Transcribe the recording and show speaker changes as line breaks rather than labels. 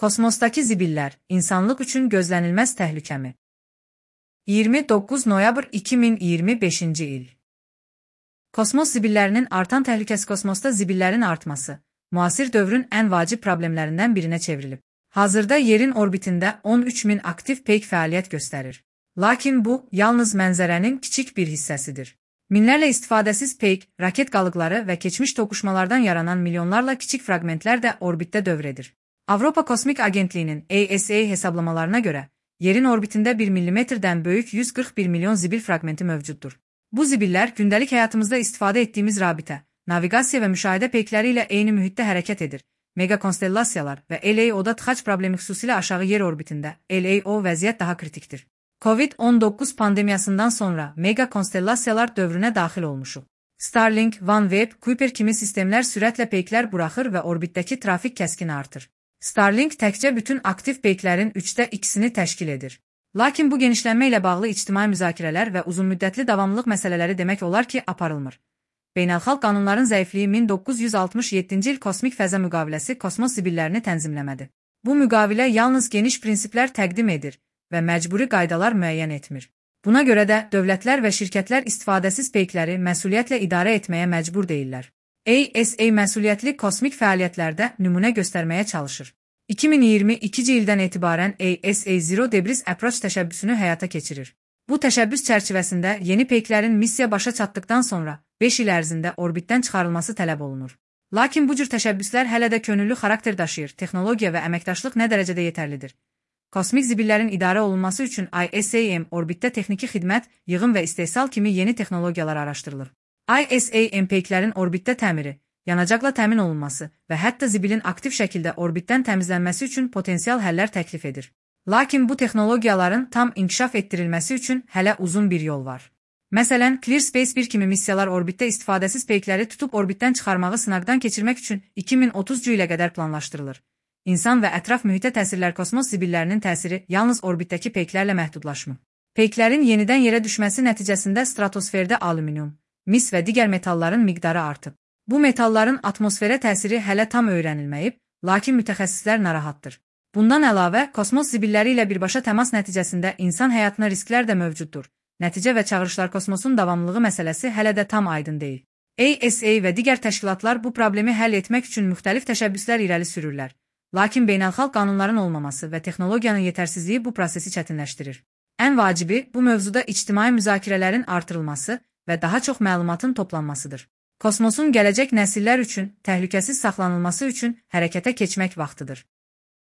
Kosmosdakı zibillər, insanlıq üçün gözlənilməz təhlükəmi. 29 noyabr 2025-ci il. Kosmos zibillərinin artan təhlükəsi. Kosmosda zibillərin artması, müasir dövrün ən vacib problemlərindən birinə çevrilib. Hazırda yerin orbitində 13.000 aktiv peyk fəaliyyət göstərir. Lakin bu, yalnız mənzərənin kiçik bir hissəsidir. Minlərlə istifadəsiz peyk, raket qalıqları və keçmiş toqquşmalardan yaranan milyonlarla kiçik fraqmentlər də orbitdə dövr edir. Avropa Kosmik Agentliyinin ESA hesablamalarına görə, yerin orbitində 1 mm-dən böyük 141 milyon zibil fraqmenti mövcuddur. Bu zibillər gündəlik həyatımızda istifadə etdiyimiz rabitə, naviqasiya və müşahidə peykləri ilə eyni mühitdə hərəkət edir. Megakonstellasiyalar və LAO-da tıxac problemi xüsusilə aşağı yer orbitində, LAO vəziyyət daha kritikdir. COVID-19 pandemiyasından sonra megakonstellasiyalar dövrünə daxil olmuşuq. Starlink, OneWeb, Kuiper kimi sistemlər sürətlə peyklər buraxır və orbitdəki trafik kəskin artır. Starlink təkcə bütün aktiv peyklərin 2/3-ni təşkil edir. Lakin bu genişlənmə ilə bağlı ictimai müzakirələr və uzunmüddətli davamlılıq məsələləri demək olar ki, aparılmır. Beynəlxalq qanunların zəifliyi 1967-ci il Kosmik Fəza Müqaviləsi kosmos zibillərini tənzimləmədi. Bu müqavilə yalnız geniş prinsiplər təqdim edir və məcburi qaydalar müəyyən etmir. Buna görə də dövlətlər və şirkətlər istifadəsiz peykləri məsuliyyətlə idarə etməyə məcbur deyirlər. ESA məsuliyyətli kosmik fəaliyyətlərdə nümunə göstərməyə çalışır. 2022-ci ildən etibarən ESA Zero Debris Approach təşəbbüsünü həyata keçirir. Bu təşəbbüs çərçivəsində yeni peyklərin missiya başa çatdıqdan sonra 5 il ərzində orbitdən çıxarılması tələb olunur. Lakin bu cür təşəbbüslər hələ də könüllü xarakter daşıyır, texnologiya və əməkdaşlıq nə dərəcədə yetərlidir? Kosmik zibillərin idarə olunması üçün ISAM orbitdə texniki xidmət, yığım və istehsal kimi yeni texnologiyalar araşdırılır. ISAM peyklərin orbitdə təmiri, yanacaqla təmin olunması və hətta zibilin aktiv şəkildə orbitdən təmizlənməsi üçün potensial həllər təklif edir. Lakin bu texnologiyaların tam inkişaf etdirilməsi üçün hələ uzun bir yol var. Məsələn, ClearSpace 1 kimi missiyalar orbitdə istifadəsiz peykləri tutub orbitdən çıxarmağı sınaqdan keçirmək üçün 2030-cu ilə qədər planlaşdırılır. İnsan və ətraf mühitə təsirlər. Kosmos zibillərinin təsiri yalnız orbitdəki peyklərlə məhdudlaşmır. Peyklərin yenidən yerə düşməsi nəticəsində stratosferdə alüminium, mis və digər metalların miqdarı artıb. Bu metalların atmosferə təsiri hələ tam öyrənilməyib, lakin mütəxəssislər narahatdır. Bundan əlavə, kosmos zibilləri ilə birbaşa təmas nəticəsində insan həyatına risklər də mövcuddur. Nəticə və çağırışlar. Kosmosun davamlılığı məsələsi hələ də tam aydın deyil. ESA və digər təşkilatlar bu problemi həll etmək üçün müxtəlif təşəbbüslər irəli sürürlər. Lakin beynəlxalq qanunların olmaması və texnologiyanın yetərsizliyi bu prosesi çətinləşdirir. Ən vacibi bu mövzuda ictimai müzakirələrin artırılması və daha çox məlumatın toplanmasıdır. Kosmosun gələcək nəsillər üçün təhlükəsiz saxlanılması üçün hərəkətə keçmək vaxtıdır.